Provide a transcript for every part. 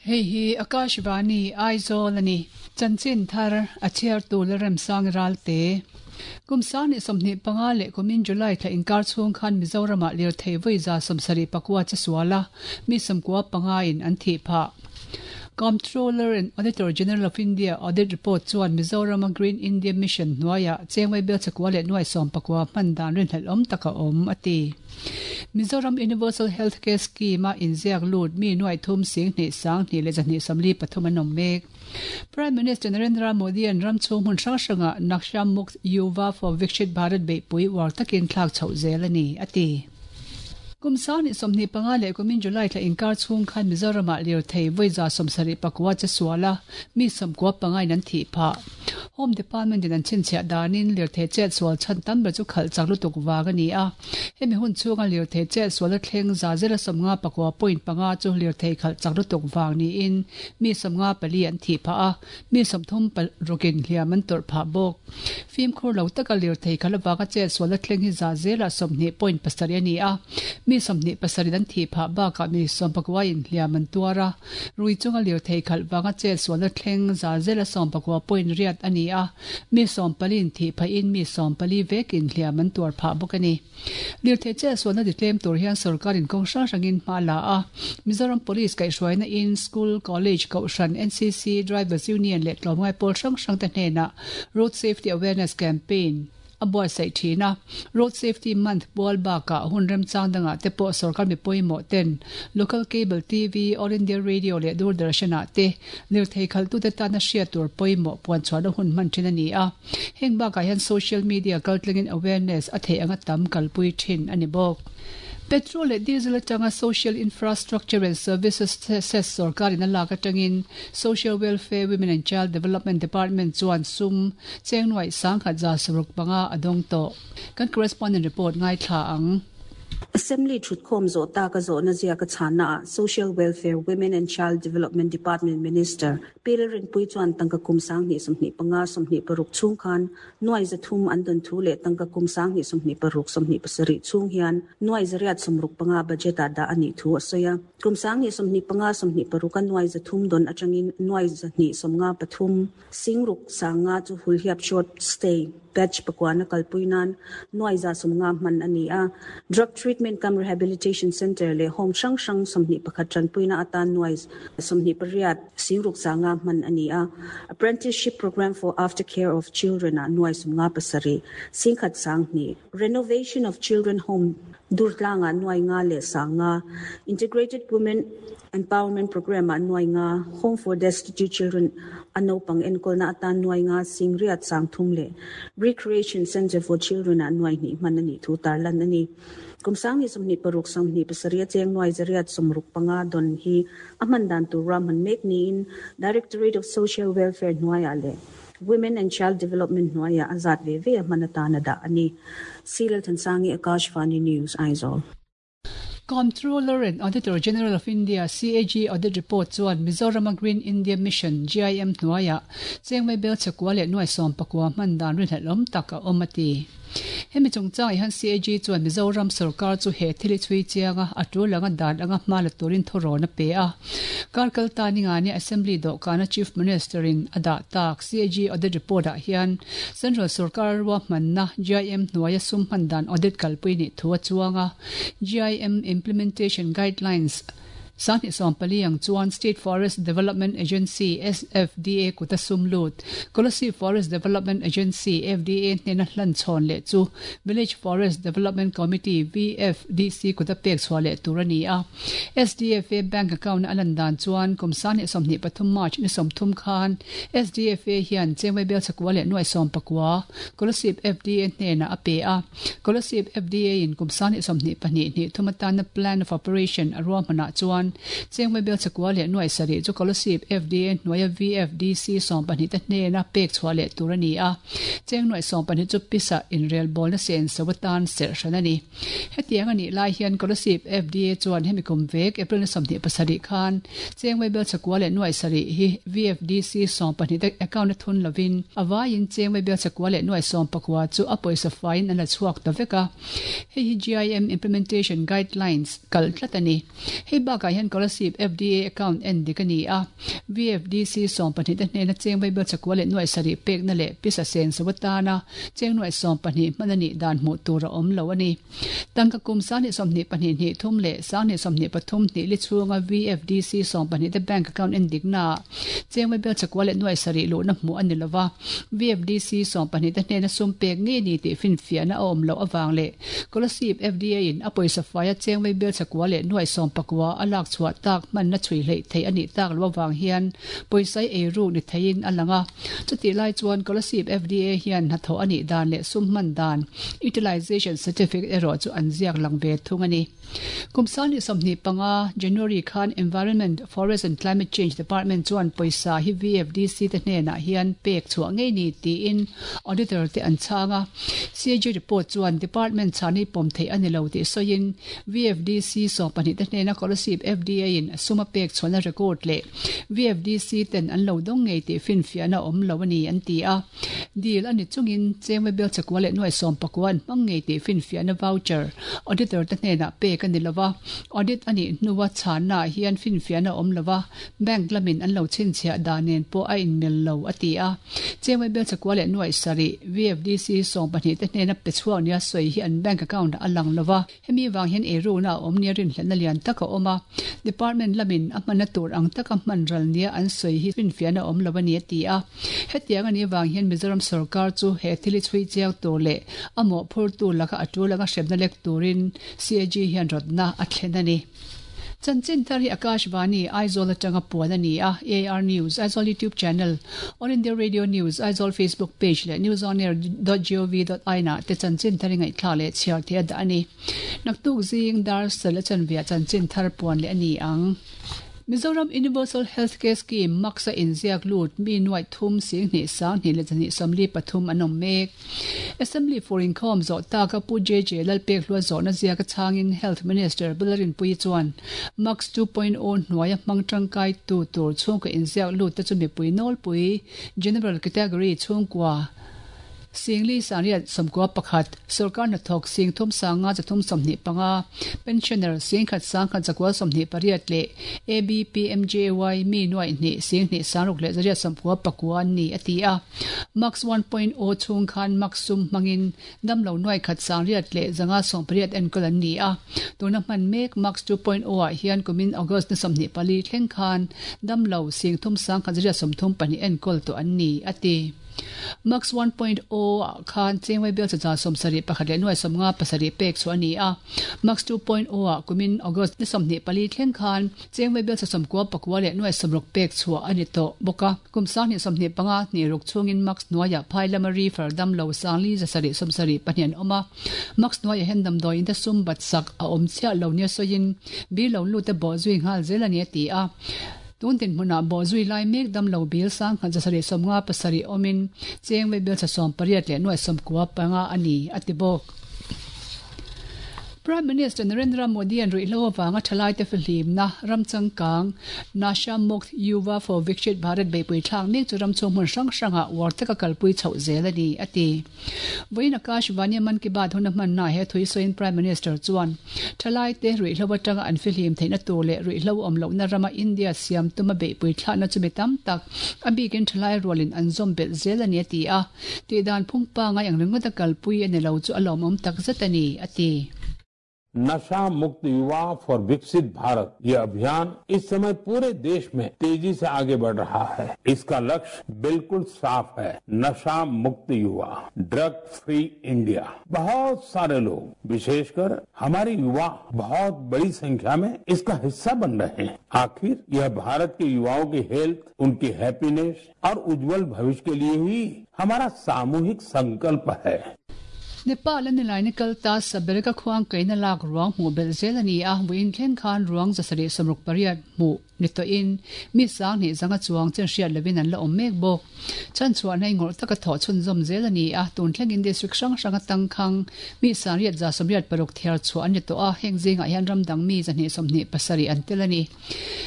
Hei hi Akashvani, Aizawl a ni. Chanchin thar a chhiartu Lalremsang Ralte. Kum 2025 leh kumin July thla inkar chhung khan Mizoramah lirthei vawi 75 che sual a, mi 95 in an thih phah. Comptroller and Auditor General of India Audit Report chuan Mizorama Green India Mission hnuaiah chengmai bel chakua leh nuai 19 hman dan rinhlelh awm tak a awm, a ti. Mizoram Universal Health Care Scheme-a inziak lut mi nuai thum sing hnih sang hnih leh zahnih 43 an awm mek. Prime Minister Narendra Modi-a'n ram chhung hmun hrang hrangah Naksha Mukt Yuva for Vikshit Bharat beihpui uar takin thlak chhoh zel a ni, a ti. Kum 2025 leh kumin July thla inkar chhung khan Mizoramah lirthei vawi 79 che sual a, mi 95 in an thih phah. Home Department in an chhinchhiah danin lirthei chet sual chhan tam ber chu khalh chak lutuk vang a ni a. Hemi hun chhunga lirthei chet sual a thleng 59.5% chu lirthei khalh chak lutuk vang niin mi 54 an thih phah a, mi 36 in hliam an tawrh phah bawk. Fimkhur lo taka lirthei khalh avanga chet sual a thleng hi 7.7% a ni a, mi 27 in an thih phah bakah mi 19 in hliam an tuar a. Rui chunga lirthei khalh vanga chet sualna thleng 80.8% a ni a, mi 14 in thih phahin mi 14 vekin hliam an tuar phah bawk a ni. Lirthei chet sualna titlem tur hian sorkarin kawng hrang hrangin hma a la a, Mizoram Police kaihhruaina in, School, College, Kohhran, NCC, Drivers Union leh tlawmngai pawl hrang hrangte hnenah Road Safety Awareness Campaign, a buatsaih thin a. Road Safety Month pual bakah hun remchang dangah te pawh sorkar mi pawimawh ten Local Cable TV, All India Radio leh Doordarshan ah te lirthei khalhtute tana hriat tur pawimawh puanchhuahna hun hman thin a ni a. Heng bakah hian social media kaltlangin awareness a theih anga tam kalpui thin a ni bawk. Petrol leh diesel atanga Social Infrastructure and Services Cess sorkarin a lak atangin Social Welfare, Women and Child Development Department chuan sum Cheng nuaih 1165 a dawng tawh. Kan correspondent report ngaithla ang. Assembly thutkhawm zawh taka zawhna ziaka chhannaah Social Welfare, Women and Child Development Department Minister Pi Lalrinpuii chuan tangka kum 2025 26 chhung khan nuai 300 an dawn thu leh tangka kum 2026 27 chhung hian nuai 865 budget-ah dah a nih thu a sawi a. Kum 2025 26 a nuai 300 dawn atangin nuai 253 Singruk sanga chu Hulhiap Short Stay Batch pakuana kalpui nan nuai 150 hman a ni a. Drug Treatment cum Rehabilitation Centre leh Home hrang hrang 21 tanpuina atan nuai 28 singruk sanga hman a ni a. Apprenticeship Programme for Aftercare of Children ah nuai 57 singkhat sang hnih. Renovation of Children Home Durtlangah nuai nga leh sang nga, Integrated Women Empowerment Programme-ah nuai nga, Home for Destitute Children a naupang enkawlna atan nuai nga sing riat sang thum leh Recreation Centre for Children-ah nuai hnih hman a nih thu tarlan a ni. Kum 2026 27 a cheng nuai 865 dawn hi a hman dan tur ruahman mek niin Directorate of Social Welfare hnuaiah leh Women and Child Development hnuaiah a zat ve ve a hman atan a dah a ni. C. Lalthansangi, Akashvani News, Aizawl. Comptroller and Auditor General of India, CAG, Audit Report chuan Mizorama Green India Mission, GIM, hnuaiah chengmai bel chakua leh nuai 19 hman dan rinhlelh awm tak a awm a ti. Hemi chungchangah hian CAG chuan Mizoram sorkar chu he thil hi chhui chiang a, a tul anga dan anga hma la turin thurawn a pe a. Kar kal ta ningani Assembly dawhkana Chief Minister in a dah tak CAG audit report ah hian Central sorkar ruahmanna GIM hnuaia sum hman dan audit kalpui nih thu a chuang a. GIM Implementation Guidelines 2014 ang chuan State Forest Development Agency, SFDA, kuta sum lut, Kolasib Forest Development Agency, FDA, hnena hlan chhawn leh chu Village Forest Development Committee, VFDC, kuta pek chhuah leh tur a ni a. SDFA bank account a lan dan chuan kum 2023 March ni 30 khan SDFA hian Chengmai Bel chakua leh nuai 19 Kolasib FDA hnenah a pe a. Kolasib FDA in kum 2022 hnih thum atana Plan of Operation a ruahmanah chuan Chengmai Bel chakua leh nuai 7 chu Kolasib FDA hnuaia VFDC 12 te hnena pek chhuah leh tur a ni a. Cheng nuai 12 chu pisa inrelbawlna sen so atan serh hran a ni. Hetiang a nih lai hian Kolasib FDA chuan hemi kum vek April ni 27 khan Chengmai Bel chakua leh nuai 7 hi VFDC 12 te account a thun lovin a vaiin Chengmai Bel chakua leh nuai 19 chu a pawisa faiin an la chhuak ta vek a. Hei hi GIM Implementation Guidelines kal tlat a ni. Hei bakah hian. hian Kolasib FDA account en dik a ni a, VFDC 12 te hnena cheng vaibel chakua leh nuaih sarih pekna leh pisa seng so atana cheng nuaih 12 hman a nih dan hmuh tur a awm lo a ni. Tangka kum 2022 hnih thum leh 2023 hnih li chhunga VFDC 12 te bank account en diknaah cheng vaibel chakua leh nuaih sarih luhna hmuh a ni lo va, VFDC 12 te hnena sum pek ngei ni tih finfiahna a awm loh avang leh Kolasib FDA in a pawisa faia cheng vaibel chakua leh nuaih 19 a lak chhuah tak hmanna chhui hleih theih a nih tak loh avang hian pawisai ei ruk ni theiin a lang a. Chutih lai chuan Kolasib FDA hian hnathawh a nih dan leh sum hman dan, Utilization Certificate, erawh chu an ziak lang ve thung a ni. Kum 2025, January khan Environment, Forest and Climate Change Department chuan pawisa hi VFDC te hnenah hian pek chhuah ngei ni tiin Auditor te an chhang a. CAG report chuan Department chhan hi pawm theih a ni lo tih sawiin VFDC 12 te hnena Kolasib FDA in sum a pek chhuahna record leh VFDC ten an lo dawng ngei tih finfiahna a awm lo a ni an ti a. Deal a ni chungin Chengwe Bel chakua leh nuaih 19 an hmang ngei tih finfiahna voucher Auditor te hnenah pek a ni lo va, audit a nih hnua chhannaah hian finfiahna a awm lo va, bank lamin an lo chhinchhiah dan nen pawh a inmil lo, a ti a. Chengwe Bel chakua leh nuaih sarih VFDC 12 te hnena pe chhuak nia sawi hi an bank account ah a lang lo va. Hemi vang hian eirukna a awm nia rinhlelhna lian tak a awm a, Department lamin a hmanna tur ang taka hman ral nia an sawi hi finfiahna a awm lo a ni a ti a. Hetiang a nih vang hian Mizoram sorkar chu he thil hi chhui chiang tur leh a mawhphurtu laka a tul anga hremna lek turin CAG hian rawtna a thlen a ni. Chanchin thar hi Akashvani, Aizawl atanga puan a ni a, AIR News, Aizawl YouTube Channel, All India Radio News, Aizawl Facebook Page leh newsonair dot gov dot in ah te chanchin thar i ngaihthlak leh chhiar theih a dah a ni. Naktuk zing dar sal a chanveah chanchin thar puan leh a ni ang. Mizoram Universal Health Care Scheme, MACS, a inziak lut mi nuaih thum 20 sang hnih leh 2 43 an awm mek. Assembly for inkhawm zawh taka Pu JJ Lalpekhlua zawhna ziaka chhangin Health Minister Bularinpuii chuan MACS 2.0 hnuaia hmang tangkaitu tur chhungkaw inziak lut te chu mipui nawlpui, General Category, chhungkua Singli Sangriat 11, Sorkar hnathawk 3 sanga 3 25, Pensioner 10 sangkhat zakua 28 leh ABPMJY mi nuaih hnih 2 sangruk leh zariat 99 an ni, a ti a. Max 1.0 chhung khan Max sum hmangin damlo nuai khat sangriat leh zanga 18 enkawl an ni a. Tuna hman mek Max 2.0 ah hian kumin August ni 24 thleng khan damlo 3 sang khat zariat 34 enkawl tawh an ni, a ti. Max 1.0 ah khan Chengwei bial chacha 71 leh nuai 57 pek chu a ni a. Max 2.0 ah kumin August ni 24 thleng khan Chengwei bial cha 99 leh nuai 60 pek chhuah a ni tawh bawk a. Kum 2025 hnih ruk chhungin Max hnuaiah phai lama reefer damlo 4 7 72 an awm a. Max hnuaiah hian damdawi in te sum bat sak a awm chiah lo nia sawiin bil lo lut te bawh zui nghal zel a ni a ti a. Tun dinhmunah bawh zui lai mek damlo bil 1757 awmin Chengwei bial cha 18 leh nuai 95 a ni a ti bawk. Prime Minister Narendra Modi an ruihhlo avanga thalaite fihlimna ram changkang Nasha Mukt Yuva for Vikshit Bharat beihpui thlak mek chu ram chhung hmun hrang hrangah uar taka kalpui chhoh zel a ni, a ti. Vawiin Akashvani Mann Ki Baat huna hmanna he thui sawiin Prime Minister chuan thalaite ruihhlo atanga an fihlim theihna tur leh ruihhlo awm lohna rama India siam tuma beihpui thlakna chu mi tam tak a bikin thalai rualin an zawm belh zel a ni, a ti a. Tihdan phung pangai ang ringawt a kalpui a ni lo chu a lawmawm tak zet a ni, a ti. Nasha Mukt Yuva for Viksit Bharat ये अभियान इस समय पूरे देश में तेजी से आगे बढ़ रहा है। इसका लक्ष्य बिल्कुल साफ है, नशा मुक्त युवा, drug free India. बहुत सारे लोग, विशेषकर हमारे युवा, बहुत बड़ी संख्या में इसका हिस्सा बन रहे हैं। आखिर यह भारत के युवाओं की हेल्थ, उनकी हैप्पीनेस और उज्जवल भविष्य के लिए ही हमारा सामूहिक संकल्प है। Nepal a nilaina kal ta Sabereka khuang kaina lak ruang hmuh belh zel a ni a, vawiin thleng khan ruang 768 hmuh ni tawhin mi 2000 zanga chuang chen hriat lovin an la awm mek bawk. Chan chhuahna i ngawrh taka thawh chhunzawm zel a ni a, tun thlengin district hrang hrang atangkhang mi 986 thiar chhuah an ni tawh a, heng zingah hian ram dang mi 227 an tel a ni.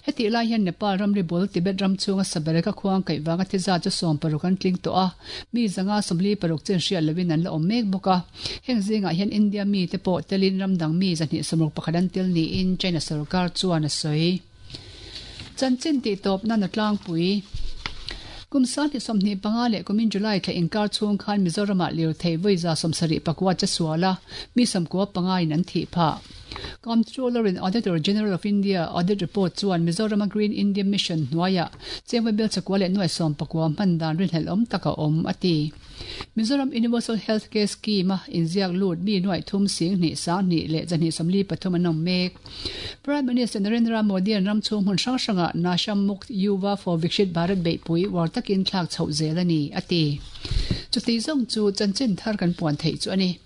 Hetih lai hian Nepal ramri bul Tibet ram chhunga Sabereka khuang kaih vanga thi zat chu 60 an tling tawh a, mi 146 chen hriat lovin an la awm mek bawk a. Heng zingah hian India mite pawh telin ram dang mi 261 an tel niin China sorkar chuan a sawi. Chanchin tihtawp nan a tlangpui. Kum 2025 leh kumin July thla inkar chhung khan Mizoramah lirthei vawi 75 che sual a, mi 95 in an thih phah. Comptroller and Auditor General of India Audit Report chuan Mizorama Green India Mission hnuaiah chengvawi bel chakua leh nuai 19 hman dan rinhlelh awm tak a awm, a ti. Mizoram Universal Health Care Scheme-a inziak lut mi nuaih thum sing hnih sang hnih leh 243 an awm mek. Prime Minister Narendra Modi-a'n ram chhung hmun hrang hrangah Nasha Mukt Yuva for Vikshit Bharat beihpui uar takin thlak chhoh zel a ni, a ti. Chuti zawng chu chanchin thar kan puan theih chu a ni.